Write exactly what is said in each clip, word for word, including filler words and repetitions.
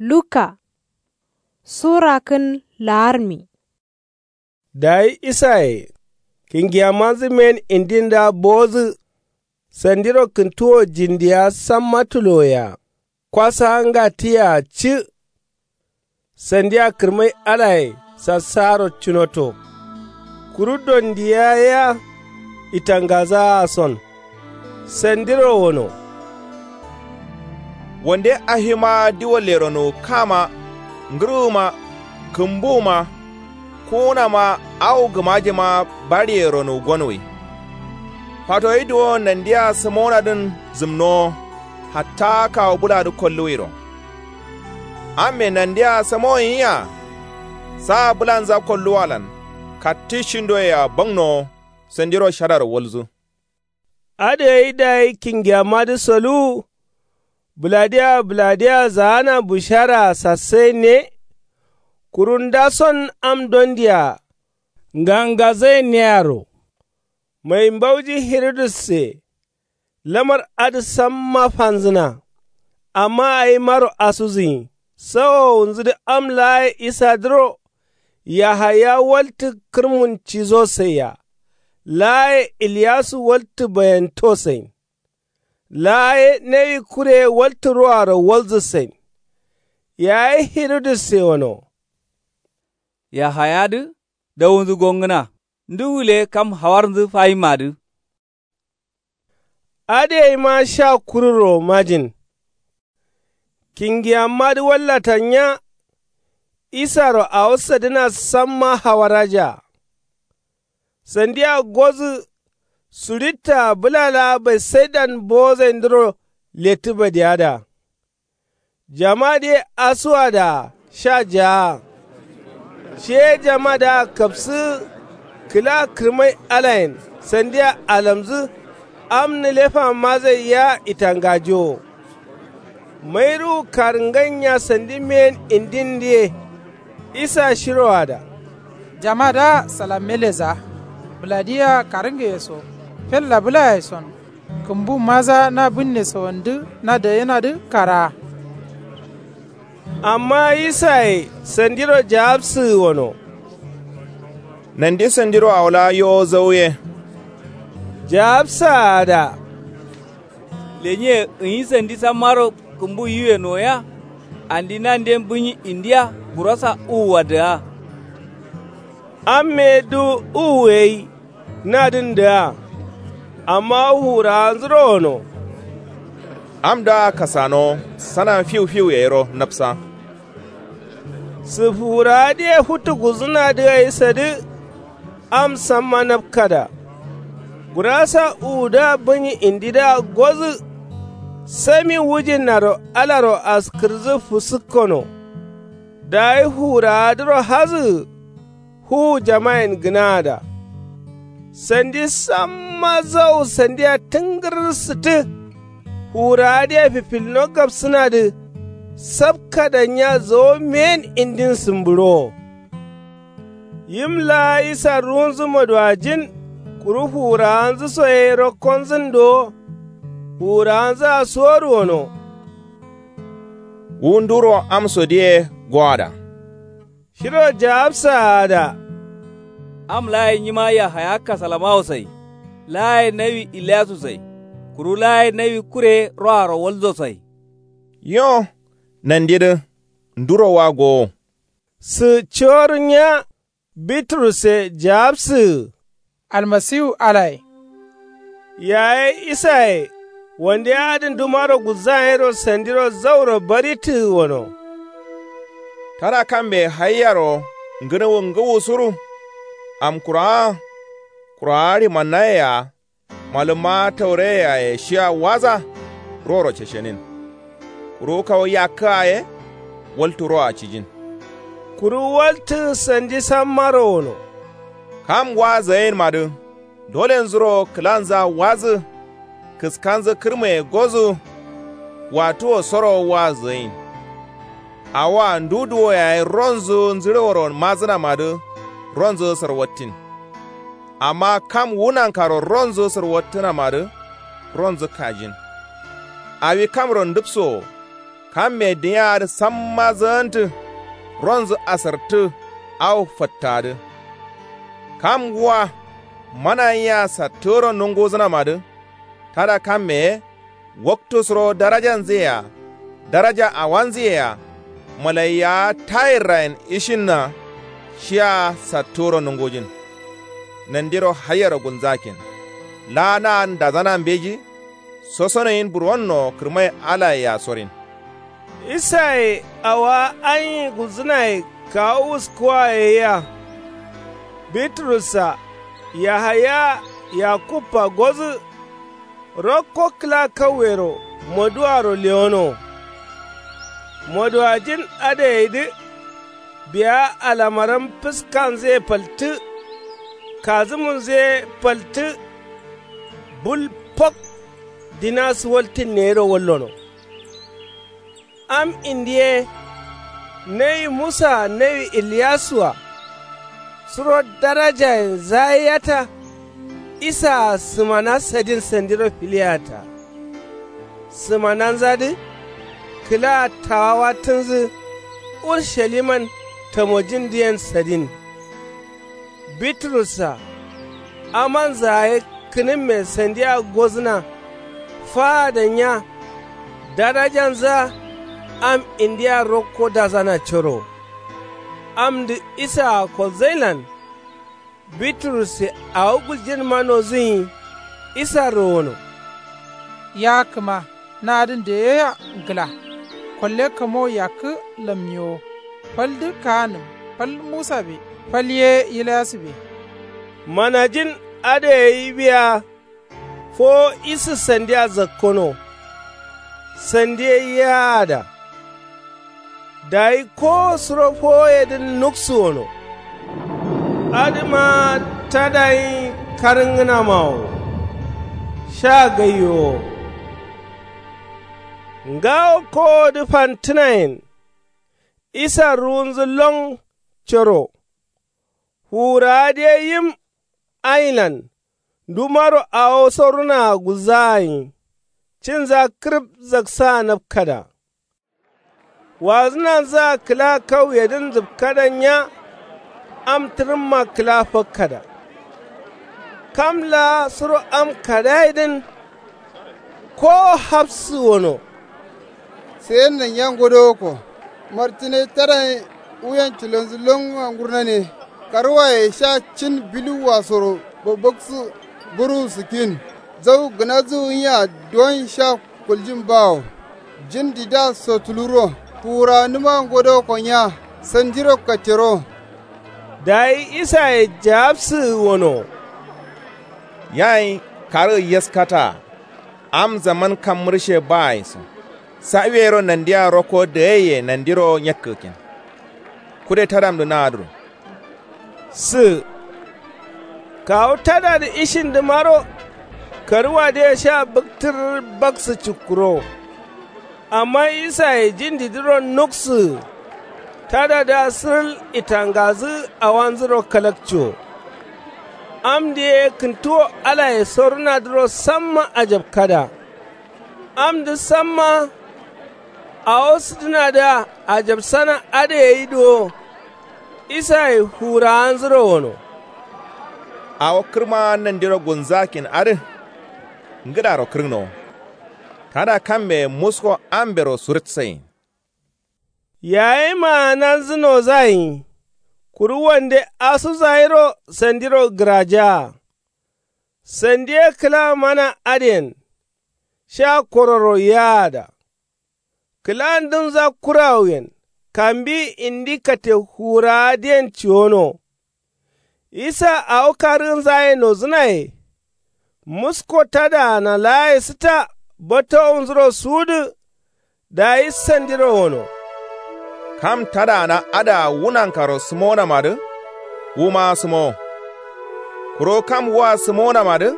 Luka. Surakǝn la'armi. Dayi isaye kingiyamanzǝ men indindǝa bowodǝ. Sandiro kǝntuwo jindiya samma tuloyea kwasaa ngattiyea cǝ. Sandia kǝrmai alaye sassaaro cunoto. Kuru dondiya yea itangazaa son. Sandiro wono. Wande afimaa diwallero nowu kama ngǝrwuma kǝmbuwuma kuwunama awo gǝmajema baɍiye ronowu gonwai. Fatoyi duwon nandea sǝmowonadǝn zǝmnowo hatta kawu bǝladǝ kolluwairo. Amme nandea sǝmowonyiya. Saa bǝlanza kolluwalan kattǝ shindoyea bangnowo sandiro shadaro walzu. Adǝ gai dayi kingiyamadǝ soluwu. Bǝladiyea bǝladiyea zaana busharaa sassainne. Kuru ndason am dondia ngangazainnearo. Mai mbauji hirudusse. Lamar adǝ samma fanzǝna. Amma awimaro asuzǝnyi sawowunzǝdǝ am laaye isadǝro. Yahaya waltǝ kǝrmun cizosaia. Laaye iliyasu waltǝ bayantosain. Laaye nawi kureye waltǝ roaro walzǝsain. Yayi hirudusse wono. Yahayadǝ dawunzǝ gongǝna ndu wule kam hawarnzǝ fayimmadǝ. Adǝ gaima sha kururo majin. Kingiyammadǝ wallata nya. Isaro awo sadǝna samma hawarajaa. Sandia gozǝ suɍittaa bǝla laa baisaidan bowozaindǝro lettǝ badiyada. Jamadǝye asuwadaa sha jaa. Shiye jamadǝa kapsǝgǝ kǝla kǝrmai alayen sandia alamzǝ. Am nǝlefamadǝ gai yea itangajowo. Mairuwu karǝngain nya sandi men indindǝ ye. Isa shiroada. Jamadǝa salammeleza bǝladiyea karǝngeye so fella bǝlaye son. Kǝmbumadǝa na bǝnne sawandǝ na dayenadǝ karaa. Amma isaye sandiro jawabsǝgǝ wono. Nandi sandiro awo laa yowo zauye. Jawabsaada. Lenye gǝnyi sandi sammaro kǝmbu yiwe noya. Andi nanden bǝnyi indiya gurasa uwuwadǝa. Amme du uwu gai nadǝn dǝa. Amma fuwurawanzuro wono. Amdǝa kasanowo sanan fiwfiwu yayiro napsa. Sǝ fuwurawadǝye futu gulzǝnadǝ gai sadǝ. Am samma napkada. Gurasa uwudǝa bǝnyi indidǝa gozǝ. Sami wujinnaro alaro askǝrnzǝ fusǝkkono. Dayi fuwurawadǝro hazǝgǝ. Fuwu jamayen gǝnaada. Sandi samma zau sandia tǝngǝrrǝ sǝttǝ. Fuwurawadǝye fifilno gapsǝnadǝ. Sapkada nya zowo men indin sǝmbǝɍowo. Yim laa isa ruwunzǝ maduwajin. Kuru fuwurawanzǝ so ye rokkonzǝn dowo. Fuwurawanzǝa suwodu wono. Wu nduro amsodǝ ye goada. Shiro jawabsaada. Am laaye nyima yahaya kasalamawosai. Laaye nawi iliyasusai. Kuru laaye nawi kure roaro walzosai. Yo nandidǝ nduro wa gowo. Sǝ ciwodu nya. Biturusse jawabsǝgǝ. Almasiwu alaye. Yaye isaye wande adǝn dumaro gulzana yero sandiro zauro barittǝgǝ wono. Tada kambe haiyaro ngǝnuwu ngǝwusuru. Amkurawa kurawa ɍimannayea. Malǝmma taureye yaye shiya waza. Roro ceshenin. Kuru kawu yakkǝa ye waltǝ roa cijin. Kuru waltǝ sandi sammaro wono. Kam wa zayenmadǝ dolenzuro kǝlanza wazǝ. Kǝskanzǝ kǝrmaye gozǝ. Watuwo soro wa zayin. Awoa ndu duwo yaye ronzǝ nzǝɍeworo mazǝnamadǝ. Ronzǝ sarwattin. Amma kam wu nankaro ronzǝ sǝrwattǝnamadǝ. Ronzǝ kajin. Awi kamro ndǝpsowo. Kamme dǝnya adǝ samma zǝgǝntǝ. Ronzǝ asartǝ. Awo fattadǝ. Kam ngǝwa mana yea sattǝro nunguzǝnamadǝ. Tada kamme ye. Waktu suro darajanzǝ yea daraja awanzǝ yea. Malaiyawa tayirrayen ishinna. Shiya sattǝro nungujin. Nandiro haiyero gulnzakin. Laa na adǝ ndazana mbeji. Sosonoyin burwonno kǝrmai alaye yasorin. Isaye awowa anyi gulzǝnaye kawu wuskuwa yayia. Biturussa yahaya yakubba gozǝ. Rokko kǝla kauyero moduwaro lewono. Moduwajin adǝ gaidǝ. Biya alamaram fǝskanzǝ ye faltǝ. Kazǝmunzǝ ye faltǝ. Bul fak. Dina suwaltǝnne yero wallono. Am indiye. Nawi musa-a nawi iliyasua. Suro darajayen zaiyata. Isaa sǝmana sadin sandiro filiyata. Sǝmananzadǝ. Kǝla tawawa tǝnzǝ. Urshaliman tamojindǝyen sadin. Biturussa amanzǝ yaye kǝnǝmme sandiya gozǝna. Faada nya. Darajanzǝa am indiya rokko dazana coro. Amdǝ isaa kolzailan. Biturusse awo guljinma nozǝnyi. Isarro wono. Ya kǝma nadǝn deyeya ngla. Kolle kamo yakkǝ lammiyewo. Faldǝ kaanǝm fal musabe fal ye ilyasube. Manajin adǝ gai biya. Fowo isǝ sandiya zakkono. Sandiye yaada. Dayi kowo suro fowoyedǝn nuksuwono. Adǝma tadayin karǝngǝnamawo. Sha gaiyowo. Ngawo kowodǝ fantǝnayen. Isa ruwunzǝ lon coro. Fuwurawadǝ ye yim. Ailan ndumaro awo sorunaa gulzaa gai. Cinza kǝrǝp zaksaa napkada. Wazǝnanzǝa kǝla kauyedǝn zǝpkada nya. Am tǝrǝmma kǝla fakkada. Kam laa suro am kadayedǝn. Kowo hafsǝ wono. Sayenna nya ngodowokko. Martǝne tadayen wuyen cilonzǝ longǝa ngurnane. Karwaye sha cin biluwwasoro babbaksǝ. Buruwu sǝkkin. Zau gǝnazǝ wunyiya duwon sha kuljin bawo. Jindidǝa sotuluro. Fuwurawanǝma ngodowokko nya. Sandiro kattero. Dayi isaye jawabsǝ wono. Yayi karǝ yaskataa. Am zaman kam mǝrshe baye so. Sawiyero nandia rokko dǝgaiye nandiro nyakkǝgǝkkin. Kude tadamdǝ naadǝro. Sǝ. Kawu tadadǝ ishindǝmaro. Karǝwadǝye sha bǝktǝr baksǝ cukkurowo. Amma isaye jindidǝro nuksǝgǝ. Tadadǝa sǝrǝl itangazǝ awanzuro kalakciwo. Amdǝ ye kǝntuwo alaye sorunadǝro samma ajapkada. Amdǝ samma. Awo sǝdǝnadǝa ajapsana adǝ gai duwo. Isaye fuwurawanzuro wono. Awo kǝrma nandiro gulnzakkin adǝ. Ngǝdaro kǝrgǝnowo. Tada kamme musko ambero surǝtsayin. Yayi maananzǝ nozagai. Kuru wande asuzairo sandiro gǝrajaa. Sandi ye kǝla mana adǝyen. Sha kororo yaada. Kǝla ndǝnza kurawuyen kambiyi indi katte fuwurawadǝyen ciwono. Isa awo karǝgǝnzaye nozǝnaye. Musko tadaana laaye sǝta batowunzuro suwudǝ. Dayi sandiro wono. Kam tadaana adǝa wunankaro sǝmonamadǝ. Wuma sǝmowo. Kuro kam wua sǝmonamadǝ.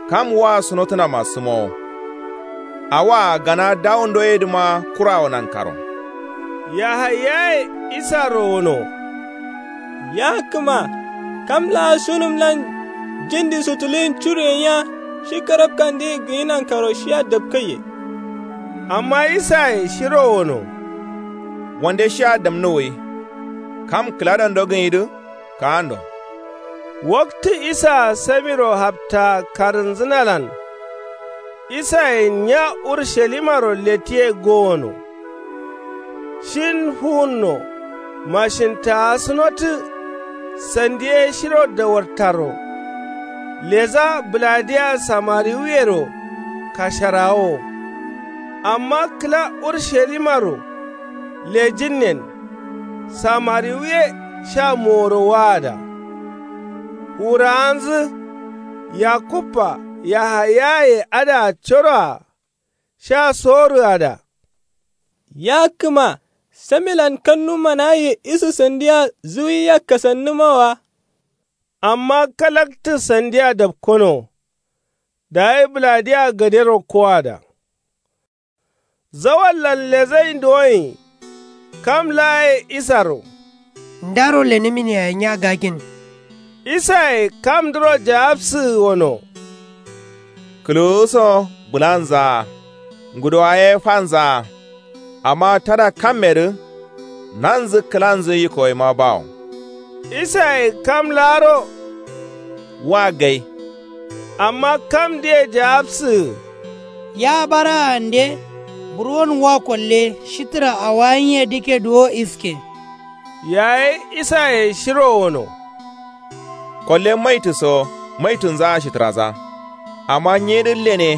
Kam wua sǝnotǝnama sǝmowo. Awaa gana dawundoyedǝma kurawo nankaro. Yahayaye isaro wono. Ya kǝma kam laa sunǝmlan jindi sutuluyin curuyen ya shi karabkandǝye gǝnyi nankaro shiya dapkaiye. Amma isaye shiro wono. Wande shiya damnu wui. Kam kǝladando gǝnyidǝ kaando. Waktǝ isaa samiro haptaa karǝnzǝnalan isayen nya urushalimaro lettiye gowono. Shin fuwunno. Mashintaasǝnotǝ sandi ye shiro dawartaro. Leza bǝladiya samariwuyero kasharawowo. Amma kǝla urushalimaro lejinnen samariwuye sha moworo waada. Wurawanzǝ yakubba yahayaye adǝa coroa sha sorǝada. Ya kǝma samilan kannumanaye isǝ sandia zuwiya kasannǝma wa. Amma kalaktǝ sandia dapkono. Dayi bǝladiya gadero koada. Zawallan lezai duwoin kam laa ye isaro. Ndaro lenǝmin yaye nya gakin. Isaye kamdǝro jaabsǝgǝ wono. Kǝluwuso bǝlanzaa. Ngudowa ye fanzaa. Amma tada kammedǝ nanzǝ kǝlanzǝ yikkoyima bawo. Isaye kam laaro. Wa gai. Amma kamdǝye jaabsǝgǝ. Ya baraande. Burwon wa kolle shitǝra awayinyedǝkke duwo iske. Yayi isaye shiro wono. Kolle maitǝ so maitǝnzaa shitǝraza. Amma nyedǝ lene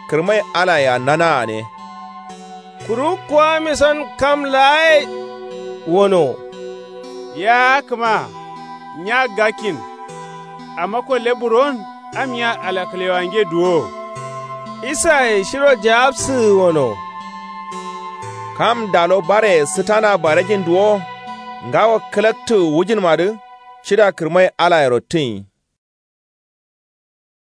kǝrmai alayea nanaane. Kuru kuwamison kam laaye wono. Ya kǝma nya gakkin. Amma kolle burwon ammiya alakǝlewange duwo. Isaye shiro jaabsǝgǝ wono. Kam dalo bareye sǝtana barejin duwo. Ngawo kǝlaktǝgǝ wujǝnmadǝ cida kǝrmai alayero tǝnyi.